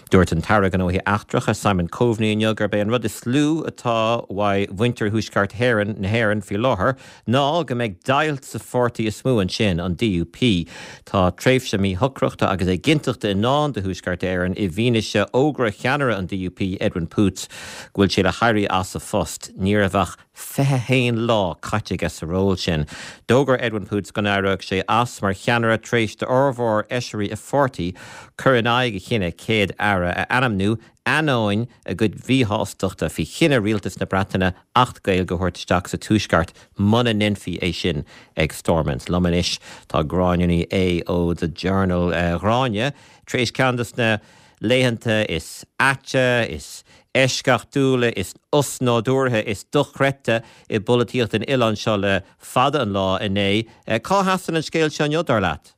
Dúirt an tAire Gnóthaí Eachtracha, Simon Coveney inniu gurb é an rud is lú atá uaidh mhuintir Thuaisceart hÉireann na hÉireann faoi láthair ná go mbeidh deighilt sa pháirtí is mó ansin, an DUP. Tá tréimhse míshocrachta agus éiginnteachta i ndán do Thuaisceart Éireann i bhfianaise fhógra cheannaire an DUP, Edwin Poots, go bhfuil sé le héirí as a phost. Ní raibh ach 21 lá caite aige sa ról sin. D'fhógair Edwin Poots go n-éireodh sé as mar cheannaire tar éis d'fhormhór fheisirí a pháirtí cur in aghaidh a chinnidh Céad-Aire a ainmniú, ainneoin a gcuid mhíshástachta faoi chinneadh Rialtas na Breataine Acht Gaeilge a thabhairt isteach sa Tuaisceart muna ndéanfaí é sin ag Stormont. Liom anois tá Gráinne Ní Aodha ó The Journal. A Ghráinne, tar éis ceann de na laethanta is aite, is eisceachtúla, is osnádúrtha, is dochreidte i bpolaitíocht an oileáin seo le fada an lá inné. Cá sheasann an scéal seo inniu, dar leat?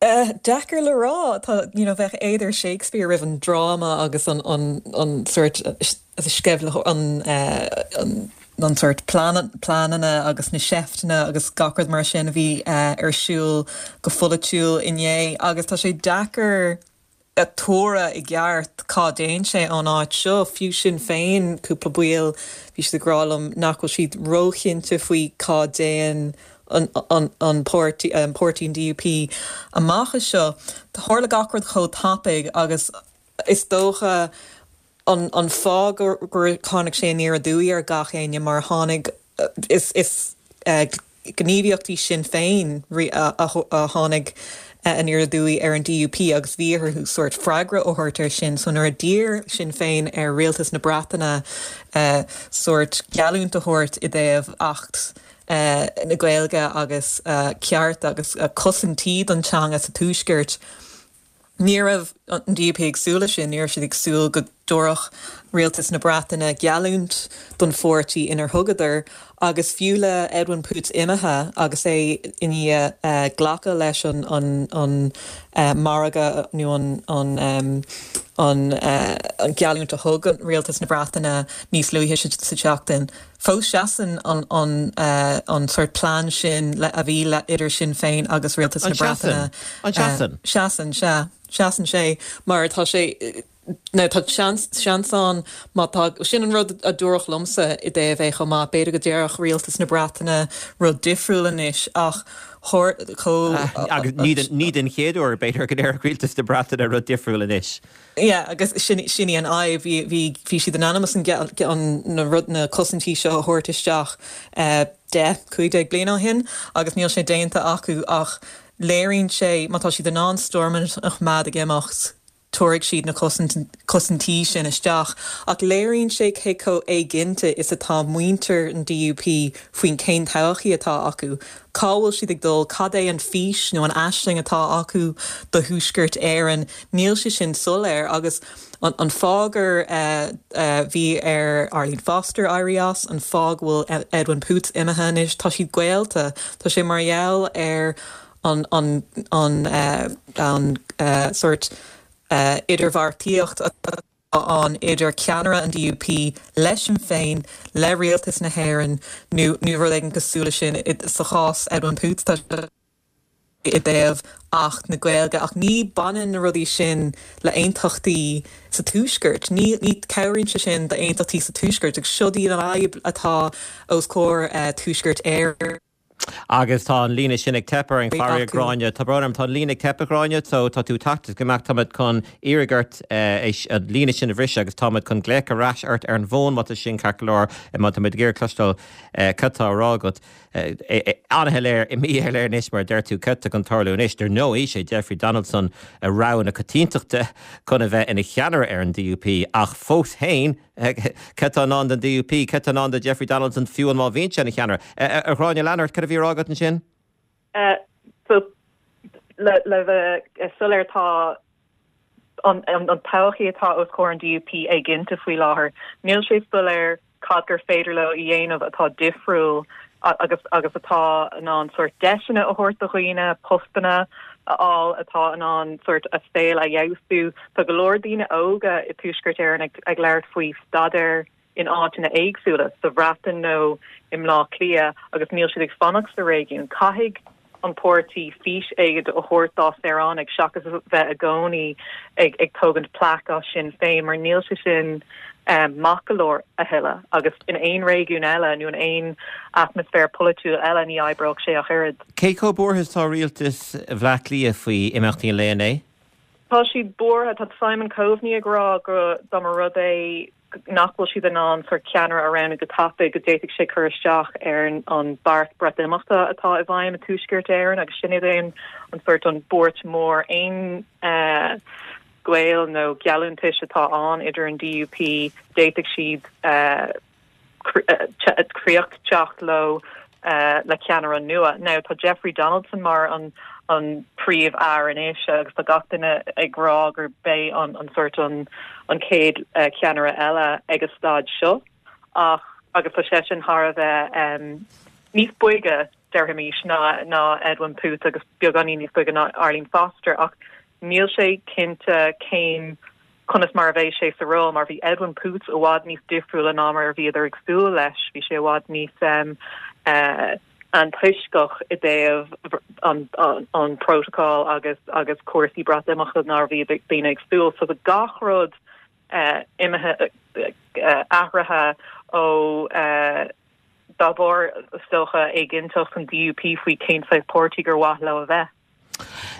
Deacair le rá. Tá, you know, bheadh éad ar Shakespeare roimh an dráma agus an, an, an sórt sceimhlitheoir, an, an, an sórt pleananna agus na seifteanna agus gach rud mar sin a bhí ar siúl go pholaitiúil inné agus tá sé deacair a thuaradh i gceart cá dtéann sé ón áit seo. Fiú Sinn Féin, cúpla baill, bhí siad ag rá liom nach bhfuil siad róchinnte faoi cá dtéann an an páirtí, an páirtí an DUP amach as seo. Tharla gach rud chomh tapaidh agus is dócha an an fáth gur gur tháinig sé aniar aduaidh ar gach éinne mar tháinig is is gníomhaíochtaí Sinn Féin a tháinig aniar aduaidh ar an DUP agus bhí orthu sórt freagra a thabhairt air sin. So nuair a d'iarr Sinn Féin ar Rialtas na Breataine sórt geallúint a thabhairt i dtaobh Acht na Gaeilge agus ceart agus cosaintí don teanga sa Tuaisceart, Ní raibh an DUP ag súil leis sin, ní raibh siad ag súil go dtabharfadh rialtas na Breataine geallúint don pháirtí inar thugadar agus fiú le Edwin Poots imithe agus é i ndiaidh glacadh leis an an margadh nó an an gheallúint a thug rialtas na Breataine níos luaithe sa tseachtain, Fós seasann an an sórt plean sin a bhí idir Sinn Féin agus Rialtas na Breataine. An seasann? Seasann, sea. Seasann sé mar tá sé, now tá seans, seans ann má tá, sin an rud a dúradh liomsa i dtaobh é chomh maith, b'fhéidir go déarfadh Rialtas na Breataine rud difriúil anois ach chomh. Agus ní den chéad uair b'fhéidir go ndéarfadh Rialtas na Breataine rud difriúil anois. Yeah, agus sin, sin í an fhadhb. Bhí, bhí, bhí siad in ainm is an, an, na rud, na cosaintí seo a thabhairt isteach 10, 15 bliain ó shin agus níl sé déanta acu ach léiríonn sé má tá siad in ann Stormont a choimeád ag imeacht, tabharfaidh siad na cosaint, cosaintí sin isteach. Ach léiríonn sé cé chomh éiginnte is atá muintir an DUP faoin cén todhchaí atá acu. Cá bhfuil siad ag dul? Cad é an fís nó an aisling atá acu do Thuaisceart Éireann? Níl sé sin soiléir agus an fáth gur bhí ar Arlene Foster éirí as, an fáth go bhfuil Edwin Poots imithe anois, tá siad gaolta. Tá sé mar gheall ar an an an an sórt idirbheartaíocht atá ann idir ceannaire an DUP le Sinn Féin, le rialtas na hÉireann nó nó rud éigin cosúil leis sin. Sa chás Edwin Poots tá sé i dtaobh Acht na Gaeilge ach ní baineann na rudaí sin le aontachtaí sa Tuaisceart. Ní ní cabhraíonn sé sin d'aontachtaí sa Tuaisceart agus seo í an fhadhb atá os comhair Tuaisceart Éireann. Agus tá an líne sin ag teip orainn, faraor, a Ghráinne. Tá brón orm, tá an líne ag teip, a Ghráinne, so tá tú ag teacht is ag imeacht. Táimid chun iarraidh ort an líne sin a bhriseadh agus táimid chun glaoch ar ais ort ar an bhfón má tá sin ceart go leor, má táimid ag iarraidh cloisteáil cad tá á rá agat. An-shoiléir, míshoiléir anois mar a deir tú, cad tá chun tarlú anois. Dar ndóigh, sé Jeffrey Donaldson a rogha na coitiantachta chun a bheith ina cheannaire ar an DUP ach fós féin, Cad tá i ndán don DUP? Cad tá i ndán do Jeffrey Donaldson fiú amháin má bhíonn sé ina cheannaire? A Ghráinne, lean ort, cad a bhí á rá agat ansin? So, le le bheith soiléir, tá an an todhchaí atá os comhair an DUP éiginnte faoi láthair. Níl sé soiléir cad gur féidir leo a dhéanamh atá difriúil agus agus atá in ann sórt deiseanna a thabhairt do dhaoine, postanna a fháil, atá in ann sórt a saol a fheabhsú. Tá go leor daoine óga i Tuaisceart Éireann ag ag labhairt faoi staidéar in áiteanna éagsúla, sa Bhreatain nó i mBleá Cliath, agus níl siad ag fanacht sa réigiún. Caithfidh. an páirtí fís éigin a thabhairt dá saoránaigh seachas a bheith i gcónaí ag ag tógaint plaic as Sinn Féin mar níl sé sin maith go leor a thuilleadh agus in aon réigiún eile nó in aon atmaisféar polaitiúil eile ní oibreodh sé ach oiread. Cé chomh buartha is atá rialtas Bhaile Átha Cliath faoi imeachtaí an lae inné? Tá siad buartha. Tá Simon Coveney ag rá go dá mba rud é nach bhfuil siad in ann sórt ceannaire a roghnú go tapaidh, go d'fhéadfadh sé cur isteach ar an beart Breatimeachta atá i bhfeidhm i Tuaisceart Éireann agus sin é an an sórt an buairt mór. Aon gaol nó geallúntais atá ann idir an DUP, d'fhéadfadh siad críoch teacht leo le ceannaire nua. Now tá Jeffrey Donaldson mar an an príomh-fhear anois agus tá gach duine ag rá gur b'é an an sórt an an chéad ceannaire eile ag an staid seo ach agus tá seisean thar a bheith níos boige déarfaimis ná ná Edwin Poots agus beagáinín níos boige ná Arlene Foster ach níl sé cinnte cén conas mar a bheidh sé sa ról, mar bhí Edwin Poots i bhfad níos difriúla ná mar a bhíodar ag súil leis, bhí sé i bhfad níos antoisceach i dtaobh an protocol agus agus cúrsaí Breatimeachta ná a bhí daoine ag súil. So tá gach rud imithe, athraithe ó dá bharr, is dócha, éiginnteacht an DUP faoi cén saghas páirtí gur mhaith leo a bheith.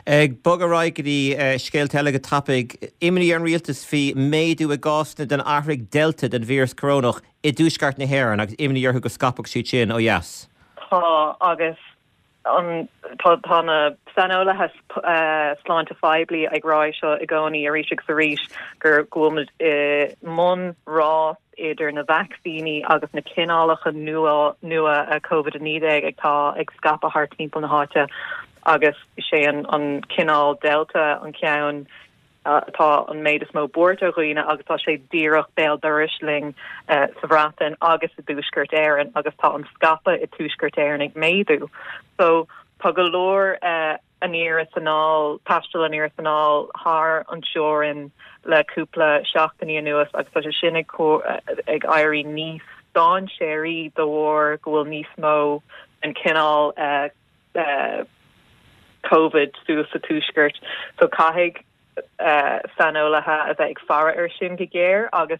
Ag bogadh ar aghaidh go dtí scéalta eile go tapaidh. Imní ar an rialtas faoi méadú i gcásanna den athraigh Delta den víreas corónach i dtuaisceart na hÉireann agus imní orthu go scaipfeadh siad sin ó dheas. Tá agus an tá tá na saineolaithe sláinte phoiblí ag rá é seo i gcónaí arís agus arís gur go bhfuil muid i mbun rás idir na vacsaíní agus na cineálacha nua nua Covid-19 atá ag scaipeadh thart timpeall na háite agus is é an an cineál Delta an ceann atá an méid is mó buairt ar dhaoine agus tá sé díreach béal dorais linn sa Bhreatain agus i dTuaisceart Éireann agus tá an scaipeadh i dTuaisceart Éireann ag méadú. So tá go leor aniar is anall, taisteal aniar is anall thar an teorainn le cúpla seachtainí anuas agus tá sé sin ag ag éirí níos dainséaraí de bharr go bhfuil níos mó den chineál Covid suas sa tuaisceart. So caithfidh saineolaithe a bheith ag faire air sin go géar agus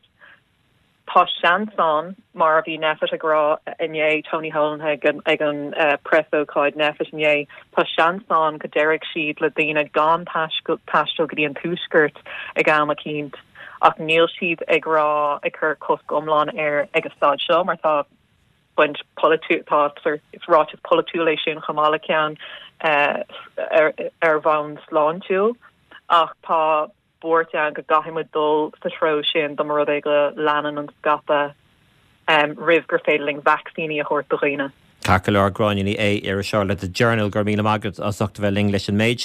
Tá seans ann, mar a bhí Nphet ag rá inné, Tony Holohan ag an preasócáid Nphet inné, tá seans ann go déarfaidh siad le daoine gan taisteal go dtí an Tuaisceart ag am eicínt ach níl siad ag rá, ag cur cosc iomlán air ag an staid seo mar tá baint polaitiúil, tá is ráiteas polaitiúil é sin chomh maith le ceann ar bhonn sláintiúil ach tá buairt ann go gcaithfidh muid dul sa treo sin dá mba rud é go leanann an scaipeadh roimh gur féidir linn vacsaíní a thabhairt do dhaoine. Ceart go leor, Gráinne Ní Aodha, iriseoir le The Journal, go raibh míle maith agat as ucht a bheith linn leis an méid sin.